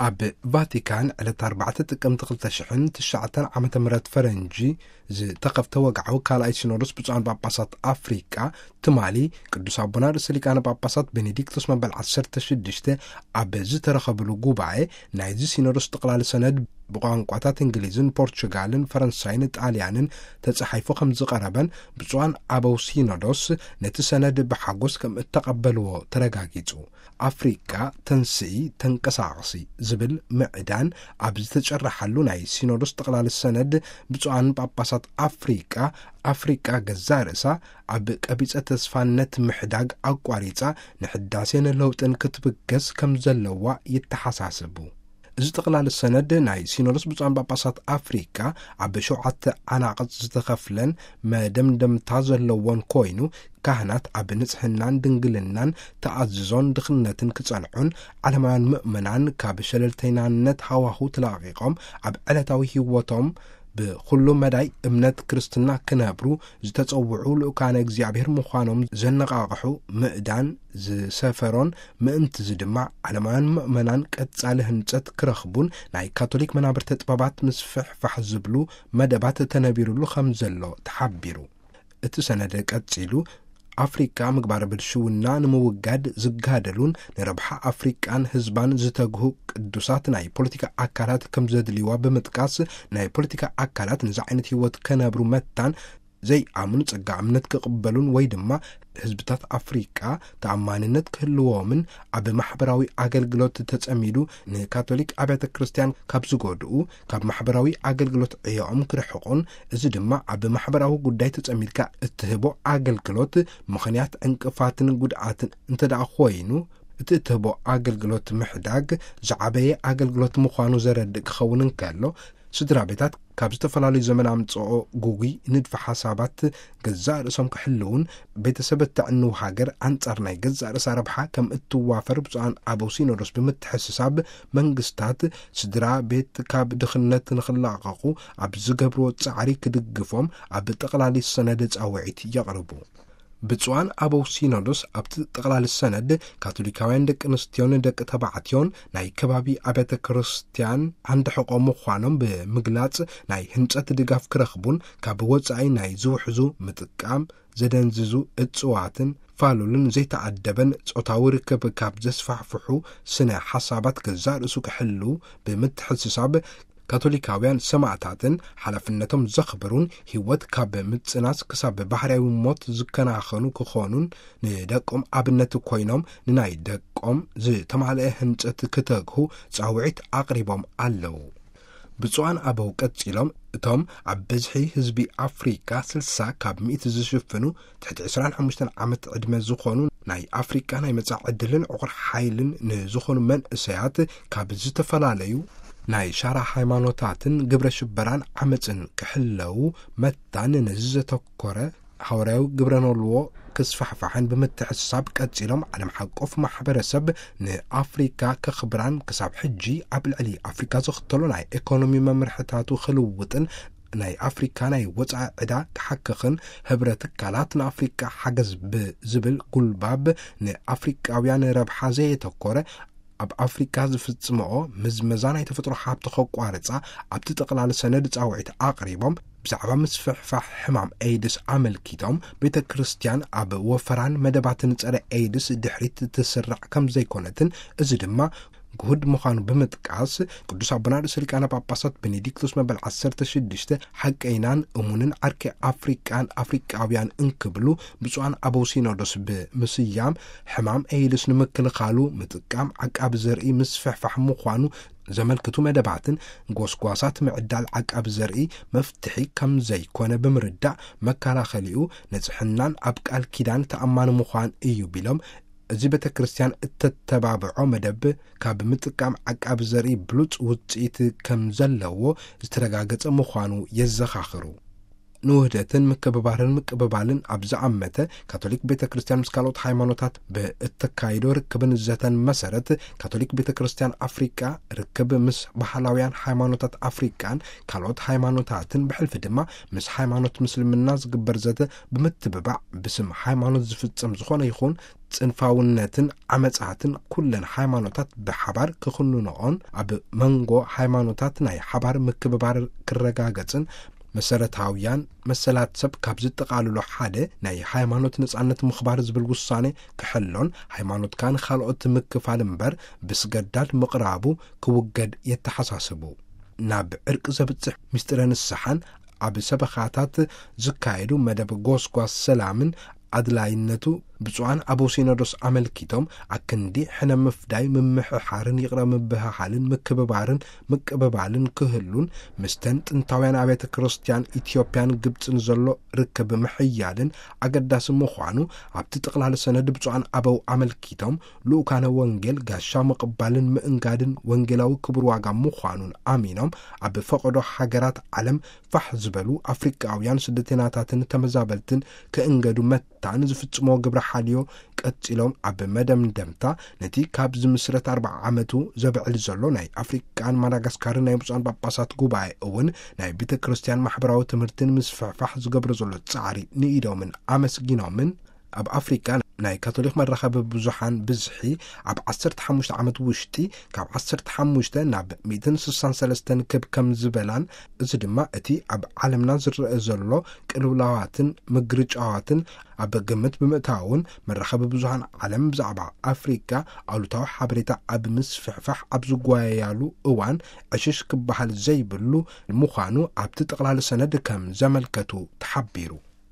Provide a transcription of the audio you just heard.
ኣብ ቫቲካን ዕለት ኣርባዕተ ጥቅምቲ ክልተ ሽሕን ትሽዓተን ዓመተ ምህረት ፈረንጂ ዝተኸፍተ ወግዓዊ ካልኣይ ሲኖዶስ ብፁዓን ጳጳሳት ኣፍሪቃ፣ ትማሊ ቅዱስ ኣቦና ርእሰ ሊቃነ ጳጳሳት ቤኔዲክቶስ መበል ዓሰርተ ሽዱሽተ ኣብ ዝተረኸብሉ ጉባኤ፣ ናይዚ ሲኖዶስ ጥቕላል ሰነድ ብቋንቋታት እንግሊዝን ፖርቹጋልን ፈረንሳይን ጣልያንን ተጻሒፉ ከም ዝቐረበን፣ ብፁዓን ኣበው ሲኖዶስ ነቲ ሰነድ ብሓጎስ ከም እተቐበልዎ ተረጋጊጹ። ኣፍሪቃ ተንስኢ ተንቀሳቐሲ ዝብል ምዕዳን ኣብ ዝተጨረሓሉ ናይ ሲኖዶስ ጠቕላሊ ሰነድ፣ ብፁዓን ጳጳሳት ኣፍሪቃ፣ ኣፍሪቃ ገዛእ ርእሳ ኣብ ቀቢጸ ተስፋነት ምሕዳግ ኣቋሪጻ ንሕዳሴን ለውጥን ክትብገስ ከም ዘለዋ ይተሓሳስቡ። እዚ ጠቕላሊ ሰነድ ናይ ሲኖዶስ ብፁዓን ጳጳሳት ኣፍሪቃ ኣብ ሸውዓተ ዓናቕጽ ዝተኸፍለን መደምደምታ ዘለዎን ኮይኑ፣ ካህናት ኣብ ንጽህናን ድንግልናን ተኣዝዞን ድኽነትን ክጸንዑን፣ ዓለማውያን ምእመናን ካብ ሸለልተይናነት ሃዋሁ ተላቒቖም ኣብ ዕለታዊ ህይወቶም ብኹሉ መዳይ እምነት ክርስትና ክነብሩ ዝተጸውዑ ልኡካነ እግዚኣብሔር ምዃኖም ዘነቓቕሑ ምእዳን ዝሰፈሮን፣ ምእንትዚ ድማ ዓለማውያን ምእመናን ቀጻሊ ህንጸት ክረኽቡን ናይ ካቶሊክ መናብርተ ጥበባት ምስፍሕፋሕ ዝብሉ መደባት ተነቢሩሉ ከም ዘሎ ተሓቢሩ። እቲ ሰነድ ቀጺሉ፣ ኣፍሪቃ ምግባረ ብልሽውና ንምውጋድ ዝጋደሉን ንረብሓ ኣፍሪቃን ህዝባን ዝተግሁ ቅዱሳት ናይ ፖለቲካ ኣካላት ከም ዘድልይዋ ብምጥቃስ፣ ናይ ፖለቲካ ኣካላት ነዚ ዓይነት ህይወት ከነብሩ መታን ዘይኣምኑ ጸጋ እምነት ክቕበሉን ወይ ድማ ህዝብታት ኣፍሪቃ ተኣማንነት ክህልዎምን ኣብ ማሕበራዊ ኣገልግሎት ተጸሚዱ ንካቶሊክ ኣብያተ ክርስቲያን ካብ ዝጎድኡ፣ ካብ ማሕበራዊ ኣገልግሎት ዕዮኦም ክርሕቑን፣ እዚ ድማ ኣብ ማሕበራዊ ጉዳይ ተጸሚድካ እትህቦ ኣገልግሎት ምኽንያት ዕንቅፋትን ጉድኣትን እንተ ደኣ ኮይኑ፣ እቲ እትህቦ ኣገልግሎት ምሕዳግ ዝዓበየ ኣገልግሎት ምዃኑ ዘረድእ ክኸውን እንከሎ፣ ስድራ ቤታት ካብ ዝተፈላለዩ ዘመን ኣምጽኦ ጉጉይ ንድፊ ሓሳባት ገዛእ ርእሶም ክሕልውን፣ ቤተሰብ እተዕንው ሃገር ኣንጻር ናይ ገዛእ ርእሳ ረብሓ ከም እትዋፈር ብፁዓን ኣበው ሲኖዶስ ብምትሕስሳብ፣ መንግስታት ስድራ ቤት ካብ ድኽነት ንኽላቐቑ ኣብ ዝገብርዎ ጻዕሪ ክድግፎም ኣብ ጠቕላሊ ሰነድ ጻውዒት የቕርቡ። ብፁዓን ኣበው ሲኖዶስ ኣብቲ ጠቕላሊ ሰነድ፣ ካቶሊካውያን ደቂ ኣንስትዮን ደቂ ተባዕትዮን ናይ ከባቢ ኣብያተ ክርስቲያን ዓንዲ ሕቖ ምዃኖም ብምግላጽ፣ ናይ ህንጸት ድጋፍ ክረኽቡን ካብ ወጻኢ ናይ ዝውሕዙ ምጥቃም ዘደንዝዙ እጽዋትን ፋሉልን ዘይተኣደበን ጾታዊ ርክብ ካብ ዘስፋሕፍሑ ስነ ሓሳባት ገዛእ ርእሱ ክሕሉ ብምትሕስሳብ፣ ካቶሊካውያን ሰማእታትን ሓላፍነቶም ዘኽብሩን፣ ህይወት ካብ ምጽናስ ክሳብ ባህርያዊ ሞት ዝከናኸኑ ክኾኑን፣ ንደቆም ኣብነት ኮይኖም ንናይ ደቆም ዝተማልአ ህንጸት ክተግሁ ጻውዒት ኣቕሪቦም ኣለዉ። ብፁዓን ኣበው ቀጺሎም፣ እቶም ኣብ ብዝሒ ህዝቢ ኣፍሪቃ ስልሳ ካብ ሚእቲ ዝሽፍኑ ትሕቲ ዕስራን ሓሙሽተን ዓመት ዕድመ ዝኾኑ፣ ናይ ኣፍሪቃ ናይ መጻኢ ዕድልን ዕቑር ሓይልን ንዝኾኑ መንእሰያት ካብ ዝተፈላለዩ ናይ ሻራ ሃይማኖታትን ግብረ ሽበራን ዓመጽን ክሕለዉ መታን ነዚ ዘተኮረ ሃዋርያዊ ግብረ ኖልዎ ክስፋሕፋሕን ብምትሕስሳብ ቀጺሎም፣ ዓለም ሓቆፍ ማሕበረሰብ ንኣፍሪካ ከኽብራን ክሳብ ሕጂ ኣብ ልዕሊ ኣፍሪካ ዝኽተሎ ናይ ኢኮኖሚ መምርሕታቱ ክልውጥን ናይ ኣፍሪካ ናይ ወጻኢ ዕዳ ክሓክኽን፣ ህብረ ትካላት ንኣፍሪካ ሓገዝ ብዝብል ጉልባብ ንኣፍሪካውያን ረብሓ ዘየተኮረ ኣብ ኣፍሪካ ዝፍጽምኦ ምዝመዛ ናይ ተፈጥሮ ሃብቲ ከቋርጻ ኣብቲ ጠቕላሊ ሰነድ ጻውዒት ኣቕሪቦም፣ ብዛዕባ ምስፍሕፋሕ ሕማም ኤይድስ ኣመልኪቶም፣ ቤተ ክርስቲያን ኣብ ወፈራን መደባትን ጸረ ኤይድስ ድሕሪት ትስራዕ ከም ዘይኮነትን፣ እዚ ድማ ግሁድ ምዃኑ ብምጥቃስ፣ ቅዱስ ኣቦና ርእሰ ሊቃነ ጳጳሳት ቤኔዲክቶስ መበል ዓሰርተ ሽዱሽተ ሓቀይናን እሙንን ዓርኪ ኣፍሪቃን ኣፍሪቃውያን እንክብሉ ብፁዓን ኣበው ሲኖዶስ ብምስያም፣ ሕማም ኤይድስ ንምክልኻሉ ምጥቃም ዓቃቢ ዘርኢ ምስፍሕፋሕ ምዃኑ ዘመልክቱ መደባትን ጎስጓሳት ምዕዳል ዓቃቢ ዘርኢ መፍትሒ ከም ዘይኮነ ብምርዳእ፣ መከላኸሊኡ ንጽሕናን ኣብ ቃል ኪዳን ተኣማኒ ምዃን እዩ ቢሎም፣ እዚ ቤተ ክርስቲያን እተተባብዖ መደብ ካብ ምጥቃም ዓቃቢ ዘርኢ ብሉጽ ውጽኢት ከም ዘለዎ ዝተረጋገጸ ምዃኑ የዘኻኽሩ። ንውህደትን ምክብባርን ምቅብባልን ኣብ ዝኣመተ፣ ካቶሊክ ቤተ ክርስቲያን ምስ ካልኦት ሃይማኖታት ብእተካይዶ ርክብን ዘተን መሰረት፣ ካቶሊክ ቤተ ክርስቲያን ኣፍሪቃ ርክብ ምስ ባህላውያን ሃይማኖታት ኣፍሪቃን ካልኦት ሃይማኖታትን፣ ብሕልፊ ድማ ምስ ሃይማኖት ምስልምና ዝግበር ዘተ ብምትብባዕ፣ ብስም ሃይማኖት ዝፍጸም ዝኾነ ይኹን ጽንፋውነትን ዓመጻትን ኩለን ሃይማኖታት ብሓባር ክኹንንኦን ኣብ መንጎ ሃይማኖታት ናይ ሓባር ምክብባር ክረጋገጽን መሰረታውያን መሰላት ሰብ ካብ ዝጠቓልሎ ሓደ ናይ ሃይማኖት ነጻነት ምኽባር ዝብል ውሳኔ ክሕሎን ሃይማኖትካ ንኻልኦት ምክፋል እምበር ብስገዳድ ምቕራቡ ክውገድ የተሓሳስቡ። ናብ ዕርቂ ዘብጽሕ ምስጢረ ንስሓን ኣብ ሰበኻታት ዝካየዱ መደብ ጎስጓስ ሰላምን ኣድላይነቱ ብፁዓን ኣበው ሲኖዶስ ኣመልኪቶም ኣክንዲ ሕነ ምፍዳይ ምምሕሓርን ይቕረ ምብህሃልን ምክብባርን ምቅብባልን ክህሉን ምስተን ጥንታውያን ኣብያተ ክርስቲያን ኢትዮጵያን ግብፅን ዘሎ ርክብ ምሕያልን ኣገዳሲ ምዃኑ ኣብቲ ጠቕላሊ ሰነድ ብፁዓን ኣበው ኣመልኪቶም ልኡካነ ወንጌል ጋሻ ምቕባልን ምእንጋድን ወንጌላዊ ክቡር ዋጋ ምዃኑን ኣሚኖም ኣብ ፈቐዶ ሃገራት ዓለም ፋሕ ዝበሉ ኣፍሪቃውያን ስደተናታትን ተመዛበልትን ክእንገዱ መታን ዝፍጽሞ ግብረ ሓልዮ ቀጺሎም ኣብ መደምደምታ ነቲ ካብ ዝምስረት ኣርብዓ ዓመቱ ዘብዕል ዘሎ ናይ ኣፍሪቃን ማዳጋስካርን ናይ ብፁዓን ጳጳሳት ጉባኤ እውን ናይ ቤተ ክርስቲያን ማሕበራዊ ትምህርትን ምስፍሕፋሕ ዝገብሮ ዘሎ ጻዕሪ ንኢዶምን ኣመስጊኖምን ኣብ ኣፍሪቃ ናይ ካቶሊክ መራኸቢ ብዙሓን ብዝሒ ኣብ ዓሰርተ ሓሙሽተ ዓመት ውሽጢ ካብ ዓሰርተ ሓሙሽተ ናብ ሚእትን ስሳን ሰለስተን ክብ ከም ዝበላን እዚ ድማ እቲ ኣብ ዓለምና ዝረአ ዘሎ ቅልውላዋትን ምግርጫዋትን ኣብ ግምት ብምእታውን መራኸቢ ብዙሃን ዓለም ብዛዕባ ኣፍሪቃ ኣሉታዊ ሓበሬታ ኣብ ምስፍሕፋሕ ኣብ ዝጓየያሉ እዋን ዕሽሽ ክበሃል ዘይብሉ ምዃኑ ኣብቲ ጠቕላሊ ሰነድ ከም ዘመልከቱ ተሓቢሩ።